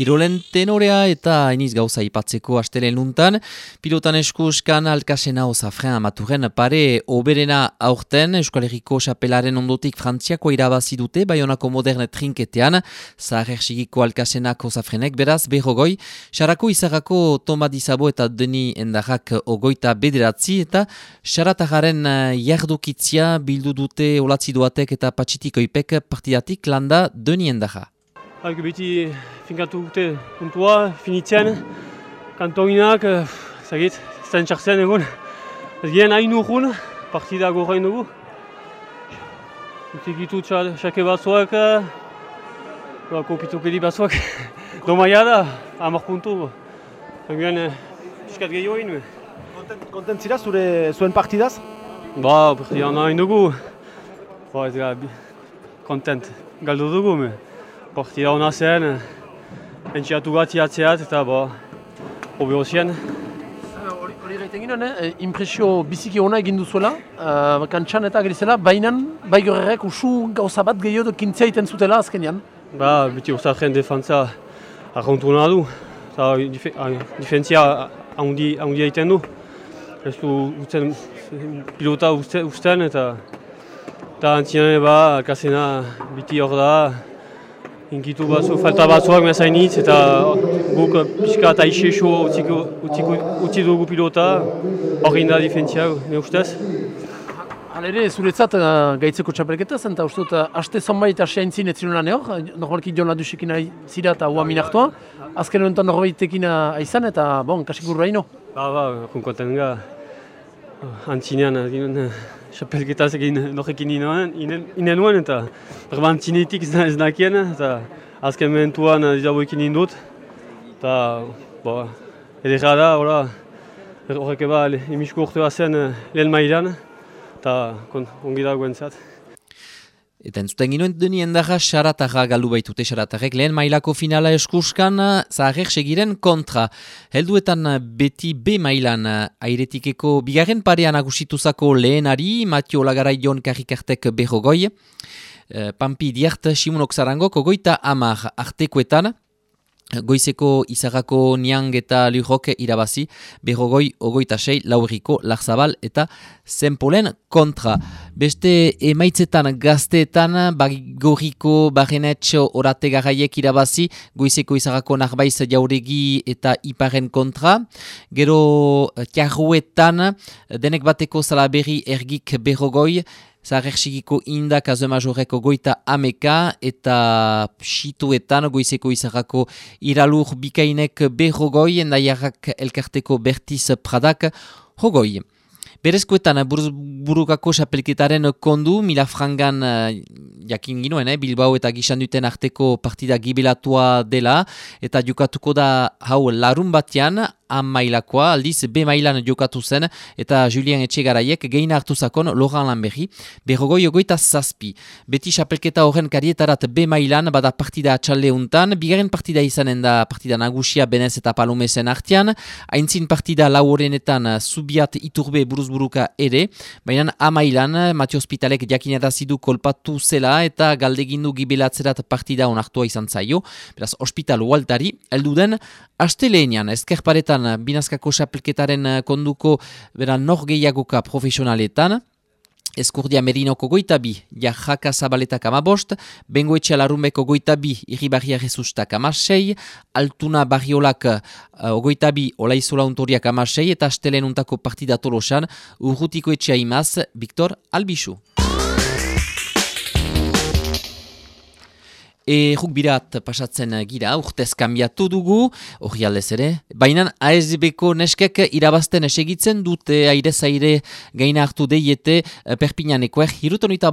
Kirolen tenorea eta hainiz gauza ipatzeko astelen nuntan, pilotan eskuskan Alkasena Osafren amaturen pare oberena aurten Euskal Herriko xapelaren ondotik Frantziako irabazi dute Baionako moderne trinketean, Zaharregiko Alkasenak Osafrenek beraz berrogoi, Sarako Izarrako Toma Dizabo eta Deni Endarrak ogoita bederatzi eta Saratagaren jardukitzia bildu dute Olatzi Doatek eta Patxitikoipek partidatik landa Deni Endarra. Beti finkatu dute puntua, finitzen, kantoinak, zagit, zen txartzen egun. Ez gien hain urrun, partida gorrain dugu. Utikitu txake batzuak, kopitukedi batzuak. Domaia da, 10 puntu. Gien, piskat gehiago egin. Kontent zira zuen partidaz? Partida hain dugu. Ez gara, kontent, galdu dugu. Partida hona zen, entxiatu gati atzeat eta hobi hozien. Hori gaiten ginen, impresio biziki hona egin duzuela, kantxan eta gerizela, baina bai gorrerek usu gauza bat gehiago kintzea iten zutela azkenean. Beti Osafren defantza arrauntu nahi du, eta difentzia handi egiten du. Ez du pilota usten eta antzinean Alkasena biti hor da. Inkitu falta batzuak mezainitz eta guk pixka eta aixexo utzi dugu pilota, hori da difentzia, ne ustez. Halere, zuretzat gaitzeko txapelketa zen, eta uste dut, haste zonbait asea intzin ez zinulan hor, normalki Jon Ladusekin zira eta hua minartua, azken honetan norbaitekin aizan eta, kasik gurra ino. Konkonten ga, antzinean, txapelketaz egin norrekin inen nuen eta antzinetik ez nakien, eta azken momentuan dizaboekin indut, eta edera da, horrek emisko urtea zen lehen mailan, eta ongi da guentzat. Eta entzuten ginoen Deni Endarra Sarataga galdu baitute Saratarrek lehen mailako finala eskuskan Zaharrek segiren kontra. Helduetan beti B mailan airetikeko bigarren parean agusituzako lehenari, Matio Lagarai Jon Karrikartek berrogoi, Pampi Diart Simonok Zarangok ogoita 10 artekoetan, Goizeko Izarrako Niang eta Lurrok irabazi, berrogoi ogoita 6 Lauriko Larzabal eta Zenpolen kontra. Beste emaitzetan gazteetan Bagoriko Barrenetxo Orate Garaiek irabazi, Goizeko Izarrako Narbaiz Jauregi eta Iparen kontra. Gero Tiarruetan denek bateko Salaberri Ergik berrogoi, Zaharregiko Indak Azemajoreko goita 10 eta Situetan Goizeko Izarrako Iralur Bikainek berrogoi, Endaiarrak Elkarteko Bertiz Pradak hogoi. Berezkoetan burukako xapelketaren kondu, Milafrangan jakin ginoen, Bilbao eta Gixanduten arteko partida gibelatua dela, eta jokatuko da hau larun batean, mailakoa, aldiz B mailan jokatu zen, eta Julien Etxegaraiek gehin hartu zakon Laurent Lanberri, berrogoi ogoita 7. Beti xapelketa horren karietarat B mailan bada partida atxalde untan, bigarren partida izanen da partida nagusia Benez eta Palomesen artean, aintzin partida lau horrenetan Zubiat Iturbe buruzburuka ere, baina amailan Matio Hospitalek jakinarazidu kolpatu zela eta galdegindu gibelatzerat partida onartua izan zaio, beraz Hospital Ualtari, elduden asteleenean ezkerparetan binazkako xapelketaren konduko nor gehiagoka profesionaletan, Eskurdia Merinoko goita 2, Jarraka Zabaletak 15, Bengoetxe Alarunbeko goita 2, Irribarria Jesustak 16, Altuna Barriolak goita 2, Olaizola Untoriak 16, eta Astelenuntako partida Tolosan, Urrutiko Etxea Imaz, Victor Albixu. Rugbirat pasatzen gira, urtez kanbiatu dugu, hori aldez ere. Baina ASB-ko neskek irabazten esegitzen dute aire-zaire gaina hartu deiete Perpignanekoer. Hirutonita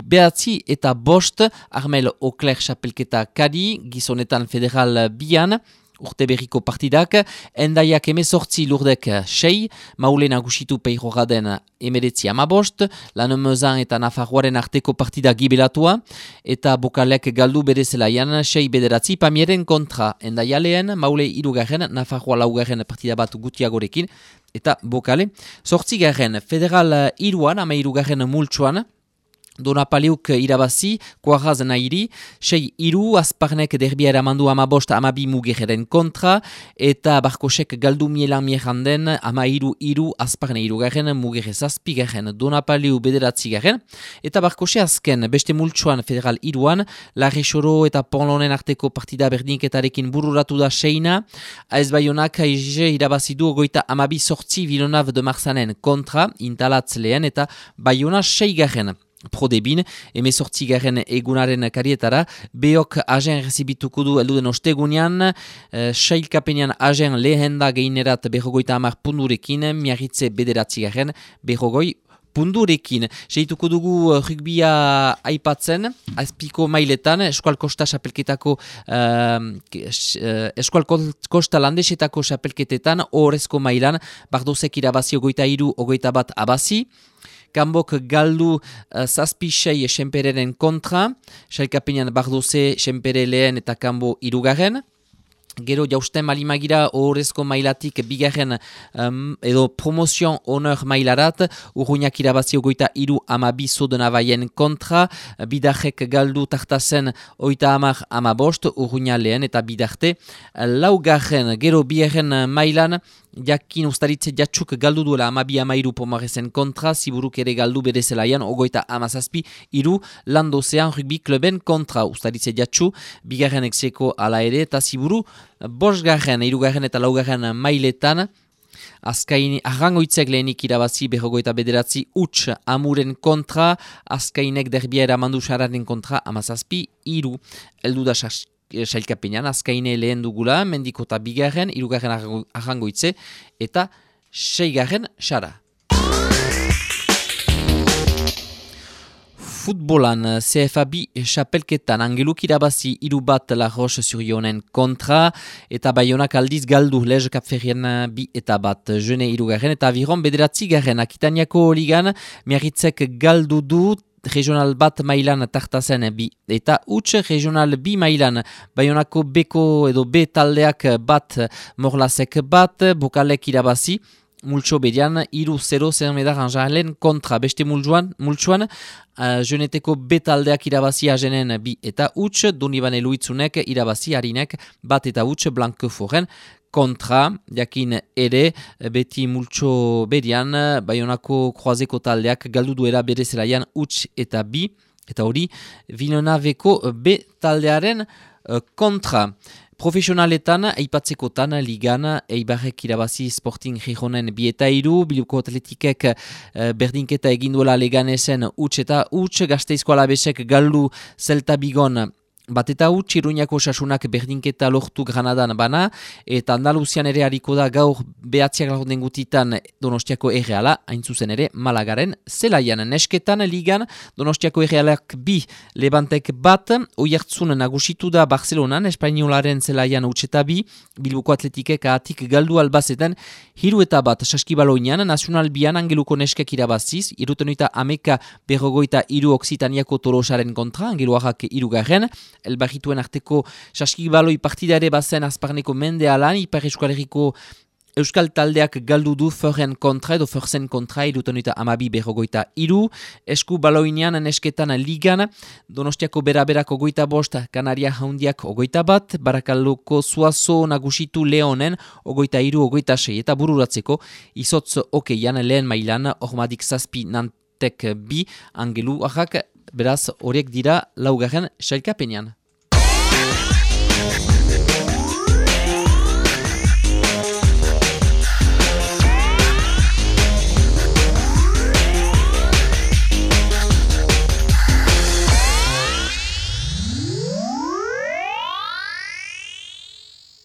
behatzi eta bost, Armel Okler xapelketa kadi, gizonetan federal bian, urte berriko partidak, Endaiak 18 Lurdek 6, Maulen agusitu Peirogaden 19 15, Lanemezan eta Nafarroaren arteko partida gibelatua, eta Bokalek galdu bere zelaian 6 bederatzi Pamieren kontra, Endaia lehen, Maule 3, Nafarroa 4 partida bat gutiagorekin, eta Bokale 8 federal 3, 13 multsuan, Donapaleuk irabazi, Kuaraz nahiri, 6-2, Azparnek derbia eramandu 15-12 Mugejeren kontra, eta Barkosek galdu mielan mieranden 13-3, Azparne 3, Mugere 7, Donapaleu 9, eta Barkose azken, beste multsuan federal 3, Larrexoro eta Ponlonen arteko partida berdinketarekin bururatu da 6, AS Baionak irabazidu 38-8 Villeneuve de Marsanen kontra, Intalatz lehen, eta Baiona 6. Prodebin, emezortzigaren egunaren karietara, Beok agen rezibituko du elduden ostegunean, sailkapenean agen lehenda geinerat berrogoita 10 pundurekin, Miarritze bederatzigarren berrogoi pundurekin. Seituko dugu rugbia aipatzen, azpiko mailetan, Eskual Kosta xapelketako, Eskual Kosta landesetako xapelketetan, horrezko mailan, Bardozek irabazi 23-21 abazi, Kambok galdu zazpisei Senpereren kontra, sailkapenean Bardoze, Senpere lehen eta Kambo 3. Gero jausten malimagira horrezko mailatik bigarren edo promozion honor mailarat, Urruñak irabazi 23-12 Sodenavaien kontra, Bidarrek galdu tartazen 30-15, Urruña lehen eta Bidarte 4. Gero bigarren mailan, Jakin ustaritze jatxuk galdu duela 12-13 Pomarezen kontra, Ziburuk ere galdu bere zelaian 27-3 Landozean rugby kluben kontra. Ustaritze jatxu, bigarren exeko ala ere, eta Ziburu, 5., 3. eta 4. mailetan, Azkain arrangoitzek lehenik irabazi 29 huts Amuren kontra, Azkainek derbia eramandu Sararen kontra 17-3. Eldu da sailkapenean, Azkaine lehen dugula, Mendikota 2., 3. arrangoitze, eta 6. Sara. Futbolan, CFA-B xapelketan Angeluk irabazi 3-1 La Roche-sur-Yonen kontra, eta Baionak aldiz galdu Lege Kapferrien 2-1 Jene 3. eta Aviron 9. Akitaniako ligan, Miarritzek galdu du, regional bat mailan tartazen 2 eta huts, regional 2 mailan Baionako beko edo B taldeak bat, Morlasek bat, Bokalek irabazi, multso bedian 3-0 Zermedar Anjalen kontra. Beste multsuan, Jeneteko B taldeak irabazi Agenen 2 eta huts, Donibane Luitzunek irabazi Harinek 1 eta huts Blanqueforen kontra. Jakin ere, beti multso bedian, Baionako kroazeko taldeak galdu duela bere zelaian huts eta 2, eta hori Villenaveko B taldearen kontra. Profesionaletan, aipatzekotan, ligan, Eibarrek irabazi Sporting Gijonen 2-3, Bilboko Atletikek berdinketa eginduela Leganesen huts eta huts, Gasteizko Alabesek galdu Celta Bigon 1-1, Iruñako Sasunak berdinketa lortu Granadan bana, eta Andaluzian ere hariko da gaur behatziak lagunden gutitan Donostiako Erreala, hain zuzen ere Malagaren zelaian. Nesketan ligan, Donostiako Errealak 2, Levantek 1, Oiartzun nagusitu da Barcelonan, Espainolaren zelaian huts eta 2, Bilboko Atletikek ahatik galdu Albazetan 3-1 Saskibaloinan, Nacional Bian Angeluko neskek irabaziz, 73 Oksitaniako Tolosaren kontra, Angeluarrak 3. Elbarrituen arteko saskibaloi partidare bazen Azparneko mende alan, Ipar Euskal Herriko Euskal taldeak galdu du Forren kontra edo Forzen kontra 72-3. Esku baloinean nesketan ligan, Donostiako beraberako 25, Kanaria Jaundiak 21, Barakaldoko Zuazo nagusitu Leonen 23-26, eta bururatzeko izotz okeian lehen mailan Ormadik 7 Nantek 2, Angelu ahak, beraz horiek dira 4. sailkapenean.